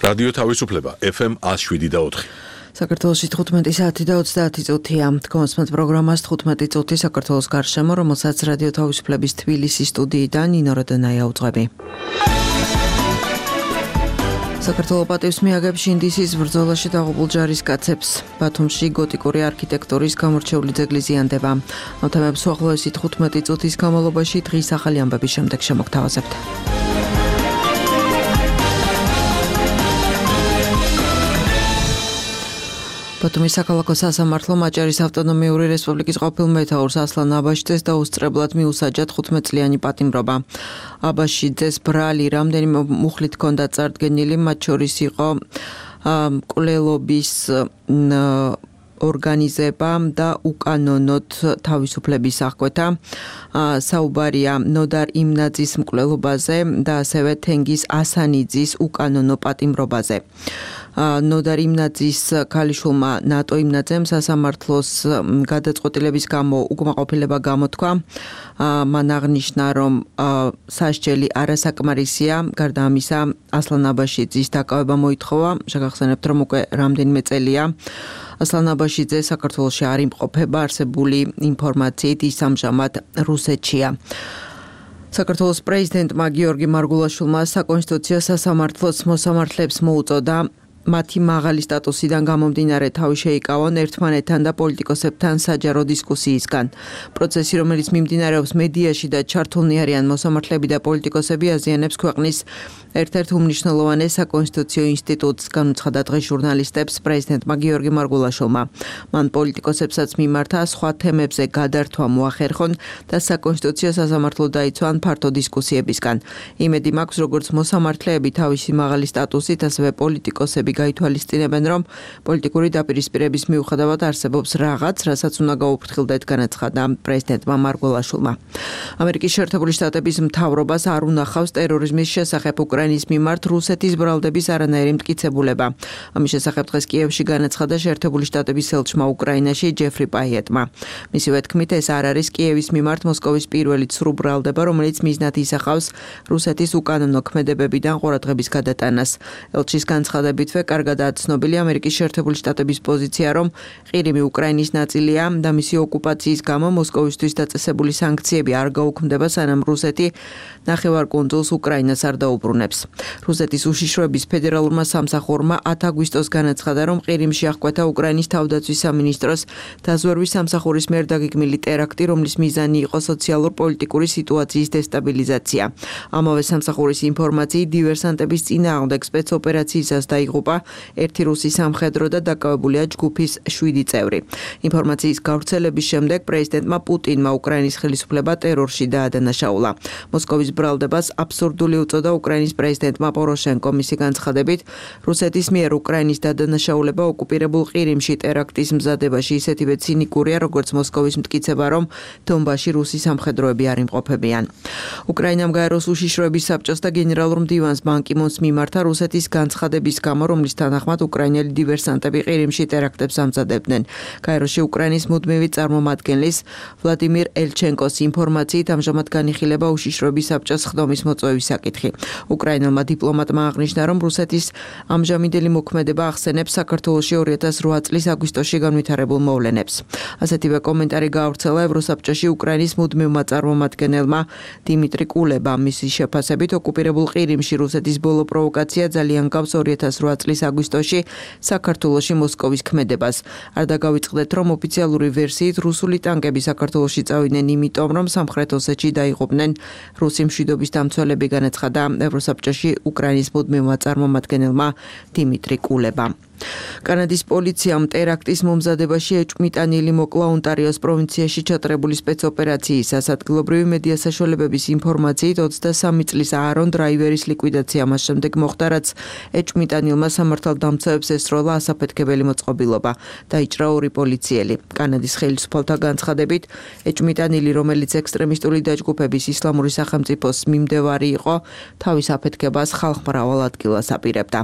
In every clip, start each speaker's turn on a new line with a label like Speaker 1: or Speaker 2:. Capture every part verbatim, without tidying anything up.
Speaker 1: რადიო თავისუფლება ეფ ემ one oh seven და four.
Speaker 2: საქართველოში თხუთმეტი საათი და ოცდაათი წუთია. Თქვენს პროგრამას თხუთმეტი წუთი საქართველოს გარშემო, რომელსაც რადიო თავისუფლების თბილისის სტუდიიდან ნინო როდონაია უძღვები. საქართველოს პატივს მიაგებს შინდისის ბრძოლაში დაღუპულ ჯარისკაცებს. ბათუმში გოტიკური არქიტექტურის გამორჩეული ძეგლი ზიანდება. ამ თემებს უახლოესი თხუთმეტი წუთის განმავლობაში დღის ახალი ამბების შემდეგ შემოგთავაზებთ. ბათუმის საქალაქო სასამართლომ აჭარის ავტონომიური რესპუბლიკის ყოფილ მეთაურს ასლან აბაშიძეს დაუსწრებლად მიუსაჯა თხუთმეტ წლიანი პატიმრობა. აბაშიძეს ბრალი რამდენიმე მუხლით ჰქონდა წარდგენილი, მათ შორის იყო მკვლელობის ორგანიზება და უკანონოდ თავისუფლების აღკვეთა. საუბარია ნოდარ იმნაძის მკვლელობაზე და ასევე თენგიზ ასანიძის უკანონო პატიმრობაზე. ნოდარ იმნაძის ქალიშვილმა ნატო იმნაძემ სასამართლოს გადაწყვეტილების გამო უკმაყოფილება გამოთქვა. მან აღნიშნა, რომ სასჯელი არასაკმარისია. გარდა ამისა, ასლან აბაშიძის დაკავება მოითხოვა. შეგახსენებთ, რომ უკვე რამდენიმე წელია ასლან აბაშიძე საქართველოში არ იმყოფება. არსებული ინფორმაციით ის ამჟამად რუსეთშია. საქართველოს პრეზიდენტმა გიორგი მარგულაშვილმა საკონსტიტუციო სასამართლოს მოსამართლეებს მოუწოდა მათი მაღალი სტატუსიდან გამომდინარე თავი შეიკავონ ერთმანეთთან და პოლიტიკოსებთან საჯარო დისკუსიისგან. პროცესი, რომელიც მიმდინარეობს მედიაში და ჩართულნი არიან მოსამართლეები და პოლიტიკოსები, აზიანებს ქვეყნის ერთ-ერთ უმნიშვნელოვანეს საკონსტიტუციო ინსტიტუტს, განუცხადა დღეს ჟურნალისტებს პრეზიდენტმა გიორგი მარგულაშვილმა. მან პოლიტიკოსებსაც მიმართა სხვა თემებზე გადართვა მოახერხონ და საკონსტიტუციო სასამართლო დაიცვან ფართო დისკუსიებისგან. იმედი მაქვს, როგორც მოსამართლეები თავისი მაღალი სტატუსით, ასევე პოლიტიკოსები გაითვალისწინებენ, რომ პოლიტიკური დაპირისპირების მიუხედავად არსებობს რაღაც, რასაც უნდა გაუფრთხილდეთ, განაცხადა პრეზიდენტმა მარგულაშვილმა. ამერიკის შეერთებული შტატების მთავრობას არ უნახავს ტერორიზმის შესახებ უკრაინის მიმართ რუსეთის ბრალდების არანაირი მტკიცებულება. ამის შესახებ დღეს კიევში განაცხადა შეერთებული შტატების ელჩმა უკრაინაში ჯეფრი პაიეტმა. მისივე თქმით, ეს არ არის კიევის მიმართ მოსკოვის პირველი ცრუ ბრალდება, რომელიც მიზნად ისახავს რუსეთის უკანონო ქმედებებიდან ყურადღების გადატანას. ელჩის განცხადებითვე კარგადაა ცნობილი ამერიკის შეერთებული შტატების პოზიცია, რომ ყირიმი უკრაინის ნაწილია და მისი ოკუპაციის გამო მოსკოვისთვის დაწესებული სანქციები არ გაუქმდება, სანამ რუსეთი ნახევარკუნძულს უკრაინას არ დაუბრუნებს. რუსეთის უშიშროების ფედერალურმა სამსახურმა ათი აგვისტოს განაცხადა, რომ ყირიმში აღკვეთა უკრაინის თავდაცვის სამინისტროს დაზვერვის სამსახურის მიერ დაგეგმილი ტერაქტი, რომლის მიზანი იყო სოციალურ-პოლიტიკური სიტუაციის დესტაბილიზაცია. ამავე სამსახურის ინფორმაციით, დივერსანტების წინააღმდეგ სპეცოპერაციისას დაიღუპა ერთი რუსი სამხედრო და დაკავებულია ჯგუფის შვიდი წევრი. ინფორმაციის გავრცელების შემდეგ პრეზიდენტმა პუტინმა უკრაინის ხელისუფლება ტერორში დაადანაშაულა. მოსკოვის ბრალდებას აბსურდული უწოდა უკრაინის პრეზიდენტმა პოროშენკო. მისი განცხადებით, რუსეთის მიერ უკრაინის დადანაშაულება ოკუპირებულ ყირიმში ტერაქტის მზადებაში ისეთივე ცინიკურია, როგორც მოსკოვის მტკიცება, რომ დონბასში რუსი სამხედროები არ იმყოფებიან. უკრაინამ გაეროს უშიშროების საბჭოს და გენერალურ მდივანს ბან კი მუნს მიმართა რუსეთის განცხადების გამო, რომლის თანახმად უკრაინელი დივერსანტები ყირიმში ტერაქტებს ამზადებდნენ. გაეროში უკრაინის მუდმივი წარმომადგენლის ვლადიმირ ელჩენკოს ინფორმაციით ამჟამად განიხილება უშიშროების საბჭოს ხდომის მოწვევის საკითხი. უკრაინელმა დიპლომატმა აღნიშნა, რომ რუსეთის ამჟამინდელი მოქმედება ახსენებს საქართველოში ორი ათას რვა წლის აგვისტოში განვითარებულ მოვლენებს. ასეთივე კომენტარი გაავრცელა ევროსაბჭოში უკრაინის მუდმივმა წარმომადგენელმა დიმიტრი კულებამ. მისი შეფასებით, ოკუპირებულ ყირიმში რუსეთის ბოლო პროვოკაცია ძალიან გავს ორი ათას რვა წლის აგვისტოში საქართველოში მოსკოვის ქმედებას. არ დაგავიწყდეთ, რომ ოფიციალური ვერსიით რუსული ტანკები საქართველოში წავიდნენ იმიტომ, რომ სამხრეთ ოსეთში დაიღუპნენ რუსი მშვიდობის დამცველები, განაცხადა ევროსაბჭოში უკრაინის მუდმივმა წარმომადგენელმა დიმიტრი კულებამ. კანადის პოლიციამ ტერაქტის მომზადებაში ეჭვმიტანილი მოკლა ონტარიოს პროვინციაში ჩატარებული სპეცოპერაციისას. ადგილობრივი მედია საშუალებების ინფორმაციით ოცდასამი წლის აარონ დრაივერის ლიკვიდაცია მას შემდეგ მოხდა, რაც ეჭვმიტანილმა სამართალდამცავებს ესროლა ასაფეთქებელი მოწყობილობა. დაიჭრა ორი პოლიციელი. კანადის ხელისუფალთა განცხადებით, ეჭვმიტანილი, რომელიც ექსტრემისტული დაჯგუფების ისლამური სახელმწიფოს მიმდევარი იყო, თავის აფეთქებას ხალხმრავალ ადგილას აპირებდა.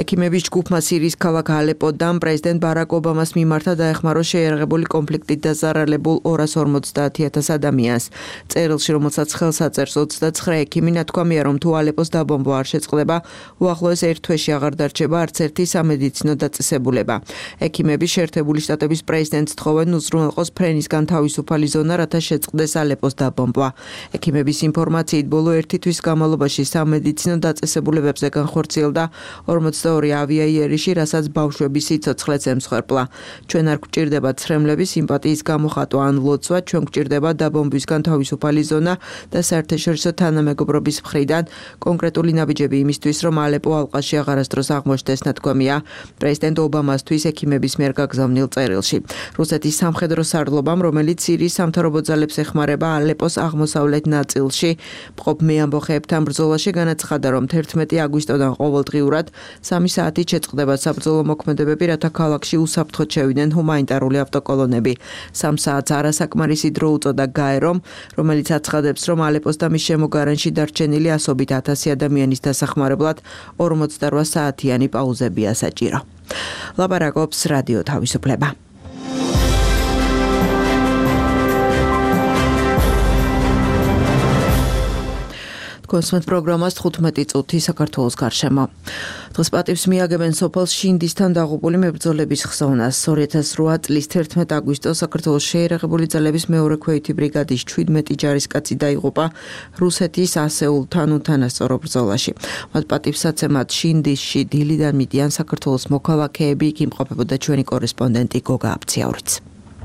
Speaker 2: ექიმების ჯგუფმა სირიის ქალაქ ალეპოდან პრეზიდენტ ბარაკ ობამას მიმართა დაეხმაროს შეიარაღებული კონფლიქტით დაზარალებულ ორას ორმოცდაათი ათას ადამიანს. წერილში, რომელსაც ხელს აწერს ოცდაცხრე ექიმი, ნათქვამია, რომ თუ ალეპოს დაბომბვა არ შეწყდება, უახლოეს ერთ თვეში აღარ დარჩება არც ერთი სამედიცინო დაწესებულება. ექიმები შეერთებული შტატების პრეზიდენტს თხოვენ უზრუნველყოს ფრენისგან თავისუფალი ზონა, რათა შეწყდეს ალეპოს დაბომბვა. ექიმების ინფორმაციით, ბოლო ერთი თვის განმავლობაში სამედიცინო დაწესებულებებზე განხორციელდა ორმოცდაორი ავიაიერიში, რასაც ბავშვების სიცოცხლეც ემსხვერპლა. ჩვენ არ გვჭირდება ცრემლები, სიმპათიის გამოხატვა ან ლოცვა, ჩვენ გვჭირდება დაბომბვისგან თავისუფალი ზონა და საერთაშორისო თანამეგობრობის მხრიდან კონკრეტული ნაბიჯები იმისთვის, რომ ალეპო ალყაში აღარასდროს აღმოჩნდეს, ნათქვამია პრეზიდენტ ობამასთვის ექიმების მიერ გაგზავნილ წერილში. რუსეთის სამხედრო სარდლობამ, რომელიც სირიის სამთავრობო ძალებს ეხმარება ალეპოს აღმოსავლეთ ნაწილში მყოფ მეამბოხეებთან ბრძოლაში, განაცხადა, რომ თერთმეტი აგვისტოდან ყოველდღიურად სამი საათით შეწყდება საბრძოლო მოქმედებები, რათა ქალაქში უსაფრთხოდ შევიდნენ ჰუმანიტარული ავტოკოლონები. სამ საათს არასაკმარისი დრო უწოდა გაერომ, რომელიც აცხადებს, რომ ალეპოს და მის შემოგარენში დარჩენილი ასობით ათასი ადამიანის დასახმარებლად ორმოცდარვა საათიანი პაუზებია საჭირო. ლაპარაკობს რადიო თავისუფლება. კონსმეთ პროგრამას თხუთმეტი წუთი საქართველოს გარშემო. დღეს პატივს მიაგებენ სოფელ შინდისთან დაღუპული მებრძოლების ხსოვნას. ორი ათას რვა წლის თერთმეტი აგვისტოს საქართველოს შეიარაღებული ძალების მეორე ქვეითი ბრიგადის ჩვიდმეტი ჯარისკაცი დაიღუპა რუსეთის ასეულთან უთანასწორო ბრძოლაში. მათ პატივსაცემად შინდისში დილიდან მიდიან საქართველოს მოქალაქეები, იქ იმყოფებოდა ჩვენი კორესპონდენტი გოგა აბციაურიც.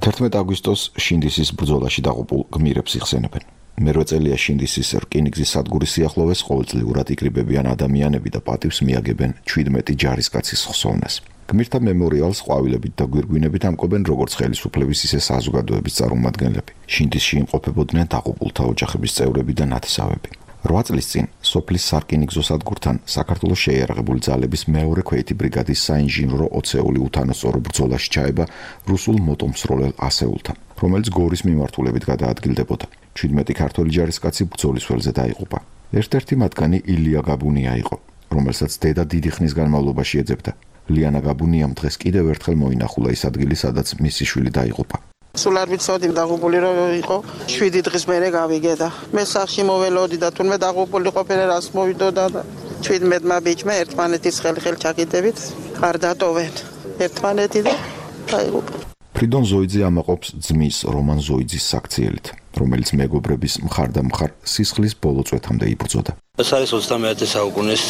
Speaker 3: თერთმეტი აგვისტოს შინდისის ბრძოლაში დაღუპულ გმირებს იხსენებენ. მერვე წელია შინდისის რკინიგზის სადგურის სიახლოვეს ყოველწლიურად იკრიბებიან ადამიანები და პატივს მიაგებენ ჩვიდმეტი ჯარისკაცის ხსოვნას. გმირთა მემორიალს ყვავილებით და გვირგვინებით ამკობენ როგორც ხელისუფლების, ისე საზოგადოების წარმომადგენლები. შინდისში იმყოფებოდნენ დაღუპულთა ოჯახების წევრები და ნათესავები. რვა წლის წინ სოფლის სარკინიგზო სადგურთან საქართველოს შეიარაღებული ძალების მეორე ქვეითი ბრიგადის საინჟინრო ოცეული უთანასწორო ბრძოლაში ჩაება რუსულ მოტომსროლელ ასეულთან, რომელიც გორის მიმართულებით გადაადგილდებოდა. ჩვიდმეტი ქართველი ჯარისკაცი ბრძოლის ველზე დაიღუპა. ერთ-ერთი მათგანი ილია გაბუნია იყო, რომელსაც დედა დიდი ხნის განმავლობაში ეძებდა. ლიანა გაბუნიამ დღეს კიდევ ერთხელ მოინახულა ის ადგილი, სადაც მისი შვილი დაიღუპა.
Speaker 4: სულ არ ვიცოდი დაღუპული რო იყო, შვიდი დღის მერე გავიგე და მე სახში მოველოდი და თუნმე დაღუპული ყოფილი რას მოვიდოდა და ჩვიდმეტმა ბიჭმა ერთმანეთის ხელ-ხელ ჩაკიდებით არ დატოვენ ერთმანეთი და დაიღუპა.
Speaker 3: ფრიდონ ზოიძე ამაყობს ძმის რომან ზოიძის საქციელით, რომელიც მეგობრების მხარდამხარ სისხლის ბოლო წვეთამდე იბრძოდა.
Speaker 5: ეს არის ოცდამეათე საუკუნის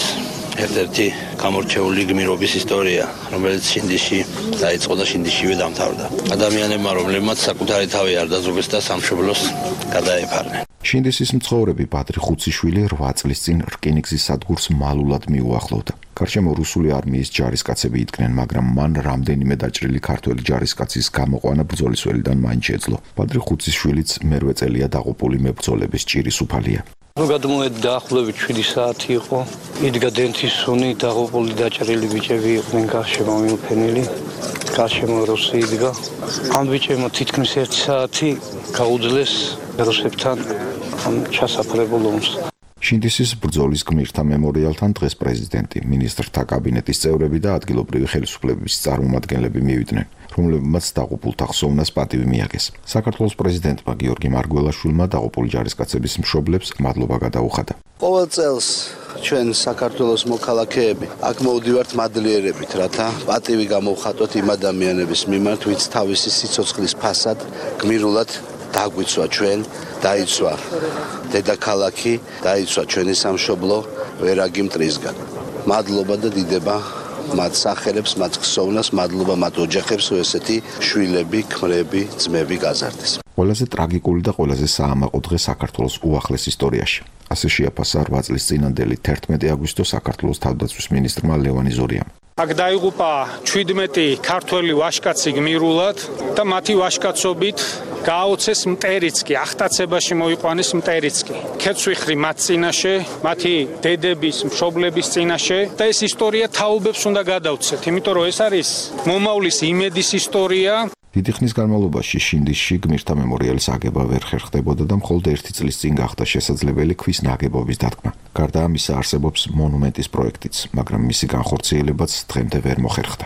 Speaker 5: ერთ-ერთი გამორჩეული გმირობის ისტორია, რომელიც შინდისში დაიწყო და შინდისშივე დამთავრდა. ადამიანებმა, რომლებმაც საკუთარი თავი არ დაძრობეს და სამშობლოს გადაეფარნენ.
Speaker 3: შინდისის მცხოვრები ბადრი ხუციშვილი რვა წლის წინ რკინიგზის სადგურს მალულად მიუახლოვდა. გარშემო რუსული არმიის ჯარისკაცები იდგნენ, მაგრამ მან რამდენიმე დაჭრილი ქართველი ჯარისკაცის გამოყვანა ბრძოლის ველიდან მაინც შეძლო. ბადრი ხუციშვილიც მერვე წელია დაღუპული მებრძოლების ჭირის უფალია.
Speaker 6: ნუ გადმოვედი დაახლოებით შვიდი საათი იყო. იდგა დენთის სუნი, დაღუპული დაჭრილი ბიჭები იყვნენ გარშემო მიუფენილი. გარშემო რუსი იდგა. ამ ბიჭებმა თითქმის ერთი საათი გაუძლეს რუსებთან ჩასაფრებულ ომს.
Speaker 3: შინდისის ბრძოლის გმირთა მემორიალთან დღეს პრეზიდენტი, მინისტრთა კაბინეტის წევრები და ადგილობრივი ხელისუფლების წარმომადგენლები მივიდნენ, რომლებმაც დაღუპულთა ხსოვნას პატივი მიაგეს. საქართველოს პრეზიდენტმა გიორგი მარგველაშვილმა დაღუპული ჯარისკაცების მშობლებს მადლობა გადაუხადა.
Speaker 7: ყოველ წელს ჩვენ საქართველოს მოქალაქეები აქ მოვდივართ მადლიერებით, რათა პატივი გამოვხატოთ იმ ადამიანების მიმართ, ვინც თავისი სიცოცხლის ფასად გმირულად დაგვიცვა ჩვენ, დაიცვა დედაქალაქი, დაიცვა ჩვენი სამშობლო ვერაგი მტრისგან. მადლობა და დიდება მათ სახელებს, მათ ხსოვნას, მადლობა მათ ოჯახებს, რომ ესეთი შვილები, ქმრები, ძმები გაზარდეს.
Speaker 3: ყველაზე ტრაგიკული და ყველაზე საამაყო დღე საქართველოს უახლეს ისტორიაში. ასე შეაფასა რვა წლის წინანდელი თერთმეტი აგვისტო საქართველოს თავდაცვის მინისტრმა ლევან იზორიამ.
Speaker 8: აქ დაიღუპა ჩვიდმეტი ქართველი ვაჟკაცი გმირულად და მათი ვაჟკაცობით გააოცეს მტერიცკი, ახტაცებაში მოიყვანეს მტერიცკი. ქეცვიხრი მათ წინაშე, მათი დედების, მშობლების წინაშე და ეს ისტორია თაობებს უნდა გადავცეთ, იმიტომ რომ ეს არის მომავლის იმედის ისტორია.
Speaker 3: დიდი ხნის განმავლობაში შინდისში გმირთა მემორიალის აგება ვერ ხერხდებოდა და მხოლოდ ერთი წლის წინ გახდა შესაძლებელი ქვის ნაგებობის დადგმა. გარდა ამისა არსებობს მონუმენტის პროექტიც, მაგრამ მისი განხორციელებაც დღემდე ვერ მოხერხდა.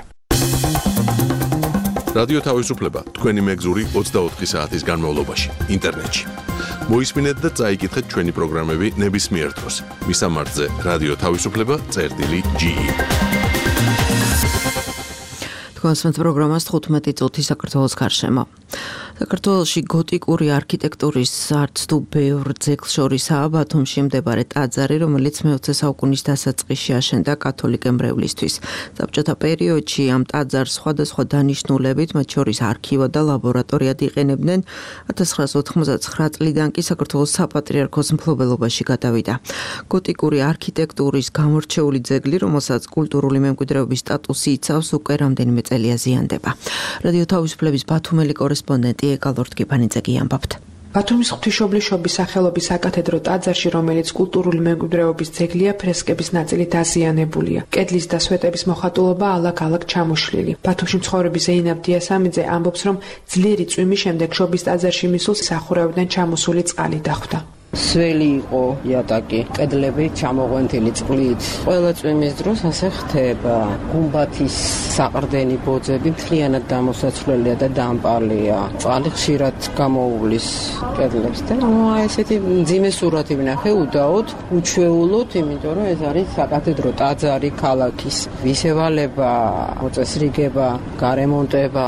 Speaker 1: რადიო თავისუფლება თქვენი მეგზური ოცდაოთხი საათის განმავლობაში ინტერნეტში. მოისმინეთ და წაიკითხეთ ჩვენი პროგრამები ნებისმიერ დროს. მისამართზე რადიო თავისუფლება წერტილი ჯი ი.
Speaker 2: თქვენს პროგრამას თხუთმეტი წუთი საქართველოს გარშემო. საქართველოში გოტიკური არქიტექტურის არც თუ ბევრ ძეგლს შორისაა ბათუმში მდებარე ტაძარი, რომელიც მეოცე საუკუნის დასაწყისში აშენდა კათოლიკე მრევლისთვის. საბჭოთა პერიოდში ამ ტაძარს სხვადასხვა დანიშნულებით, მათ შორის არქივა და ლაბორატორიად იყენებდნენ. ათას ცხრაას ოთხმოცდათცხრა წლიდან კი საქართველოს საპატრიარქოს მფლობელობაში გადავიდა. გოტიკური არქიტექტურის გამორჩეული ძეგლი, რომელსაც კულტურული მემკვიდრეობის სტატუსი იცავს, უკვე რამდენიმე წელია ზიანდება. რადიო თავისუფლების ბათუმელი კორესპონდენტი ეკალორდ კიფანიძე ამბობთ.
Speaker 9: ბათუმის ღვთისმშობლის სახელობის საკათედრო ტაძარში, რომელიც კულტურული მემკვიდრეობის ძეგლია, ფრესკების ნაწილი დაზიანებულია. კედლის და სვეტების მოხატულობა ალაგ-ალაგ ჩამოშლილი. ბათუმში მცხოვრები ზეინაბ დიასამიძე ამბობს, რომ ძლიერი წვიმის შემდეგ შობის ტაძარში მისულს სახურავიდან ჩამოსული წყალი დახვდა.
Speaker 10: სველი იყო იატაკი, კედლები ჩამოღვენთილი წყლით. ყველა წვიმის დროს ასე ხდება. გუმბათის საყრდენი ბოძები მთლიანად დამოსაცვლელია და დამპალია. წყალი ხშირად გამოუვლის კედლებს და ნუ აი ესეთი მძიმე სურათი ვნახე უდაოდ, უჩვეულოდ, იმიტომ რომ ეს არის საკათედრო ტაძარი ქალაქის. ვისევალება, მოწესრიგება, გარემონტება,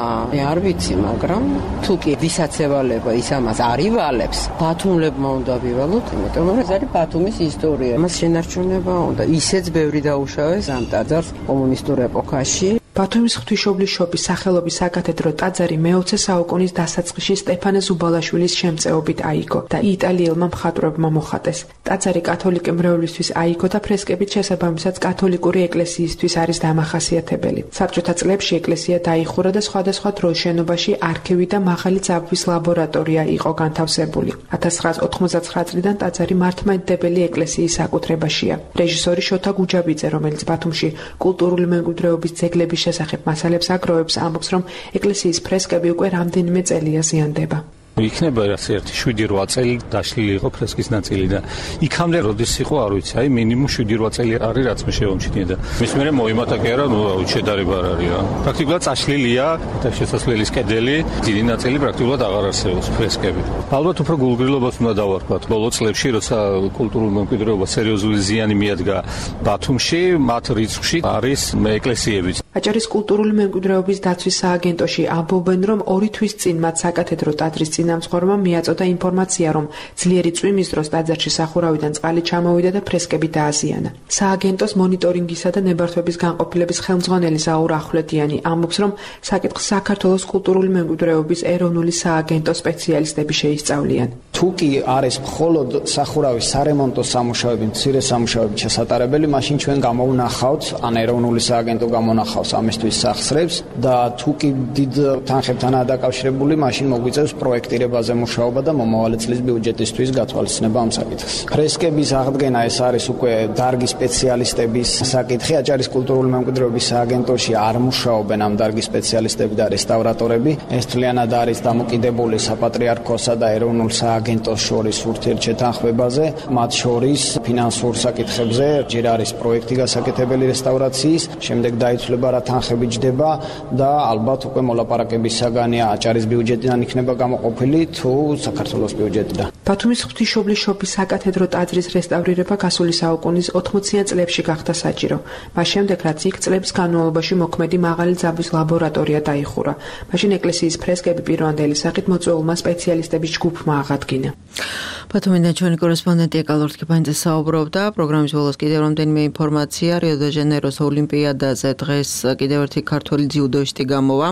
Speaker 10: არ ვიცი, მაგრამ თუ კი ვისაც ევალება, ის ამას არ ივალებს. ბათუმლებმა უნდა ვივალოთ, იმიტომ რომ ეს არის ბათუმის ისტორია. მას შენარჩუნება უნდა. ისეც ბევრი დაუშავეს ამ ტაძარს კომუნისტურ ეპოქაში.
Speaker 9: ბათუმის ღვთისმშობლის შობის სახელობის საკათედრო ტაძარი მეოცე საუკუნის დასაწყისში სტეფანე ზუბალაშვილის შემწეობით აიგო და იტალიელმა მხატვრებმა მოხატეს. ტაძარი კათოლიკე მრევლისთვის აიგო და ფრესკებით შესაბამისად კათოლიკური ეკლესიისთვის არის დამახასიათებელი. საბჭოთა წლებში ეკლესია დაიხურა და სხვადასხვა დროს შენობაში არქივი და მაღალი ძაბვის ლაბორატორია იყო განთავსებული. ათას ცხრაას ოთხმოცდათცხრა წლიდან ტაძარი მართლმადიდებელი ეკლესიის საკუთრებაშია. რეჟისორი შოთა გუჯაბიძე, რომელიც ბათუმში კულტურული მემკვიდრეობის ძეგლების შესახებ მასალებს აგროვებს, ამბობს, რომ ეკლესიის ფრესკები უკვე რამდენიმე წელია ზიანდება.
Speaker 6: იქნება ასე ერთი შვიდი რვა წელი დაშლილი იყო ფრესკის ნაწილი და იქამდე როდის იყო არ ვიცი, აი მინიმუმ შვიდი რვა წელი არის რაც მე შევამჩნია და მის მერე მოიმატა კი არა, ნუ შედარება არ არის რა. პრაქტიკულად წაშლილია და შესასვლელის კედელი, დიდი ნაწილი პრაქტიკულად აღარ არსებობს ფრესკები. ალბათ უფრო გულგრილობას უნდა დავარქვათ. ბოლო წლებში, როცა კულტურულ მემკვიდრეობას სერიოზული ზიანი მიადგა ბათუმში, მათ რიცხვში არის ეკლესიებიც.
Speaker 9: აჭარის კულტურული მემკვიდრეობის დაცვის სააგენტოში ამბობენ, რომ ორი თვის წინ მათ საკათედრო ტაძრის წინამძღვრმა მიაწოდა ინფორმაცია, რომ ძლიერი წვიმის დროს ტაძარში სახურავიდან წყალი ჩამოვიდა და ფრესკები დააზიანა. სააგენტოს მონიტორინგისა და ნებართვების განყოფილების ხელმძღვანელი ზაურ ახვლედიანი ამბობს, რომ საკითხს საქართველოს კულტურული მემკვიდრეობის ეროვნული სააგენტოს სპეციალისტები შეისწავლიან.
Speaker 11: თუ კი არის მხოლოდ სახურავის სარემონტო სამუშაოები, მცირე სამუშაოები შესატარებელი, მაშინ ჩვენ გამოვნახავთ, ან ეროვნული სააგენტო გამონახავს ამისთვის სახსრებს და თუ კი დიდ თანხებთანაა დაკავშირებული, მაშინ მოგვიწევს პროექტირებაზე მუშაობა და მომავალი წლის ბიუჯეტისთვის გათვალისწინება ამ საკითხს. ფრესკების აღდგენა ეს არის უკვე დარგის სპეციალისტების საკითხი. აჭარის კულტურული მემკვიდრეობის სააგენტოში არ მუშაობენ ამ დარგის სპეციალისტები და რესტავრატორები. ეს თლიანად არის დამოკიდებული საპატრიარქოსა და ეროვნულ სააგენტოს შორის ურთიერთშეთანხმებაზე, მათ შორის ფინანსურ საკითხებზე. ჯერ არის პროექტი გასაკეთებელი რესტავრაციის, შემდეგ დაიცვლება რა თანხები ჯდება და ალბათ უკვე მოლაპარაკების საგანია აჭარის ბიუჯეტიდან იქნება გამოყოფილი თუ საქართველოს ბიუჯეტიდან.
Speaker 9: ბათუმის ღვთისმშობლის შობის საკათედრო ტაძრის რესტავრირება გასული საუკუნის ოთხმოციან წლებში გახდა საჭირო. მას შემდეგ, რაც იქ წლების განმავლობაში მოქმედი მაღალი ძაბვის ლაბორატორია დაიხურა. მაშინ ეკლესიის ფრესკები პირვანდელი სახით მოწვეულმა სპეციალისტების ჯგუფმა აღადგინა.
Speaker 2: ბათუმიდან ჩვენი კორესპონდენტი ეკალორდ კიფანიძე საუბრობდა. პროგრამის ბოლოს კიდევ რამდენიმე ინფორმაცია. რიო დე ჟანეიროს ოლიმპიადაზე დღეს კიდევ ერთი ქართველი ძიუდოისტი გამოვა.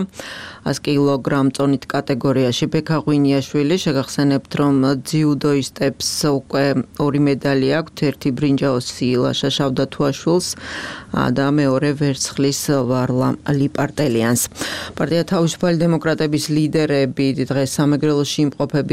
Speaker 2: ას კილოგრამ წონით კატეგორიაში ბექა ღვინიაშვილი. შეგახსენებთ, რომ ძიუდოისტებს უკვე ორი მედალი აქვთ, ერთი ბრინჯაოსი ილაშა შავდათუაშვილს და მეორე ვერცხლის ვარლა ლიპარტელიანს. პარტია თავისუფალი დემოკრატების ლიდერები დღეს სამეგრელოში იმყოფებიან.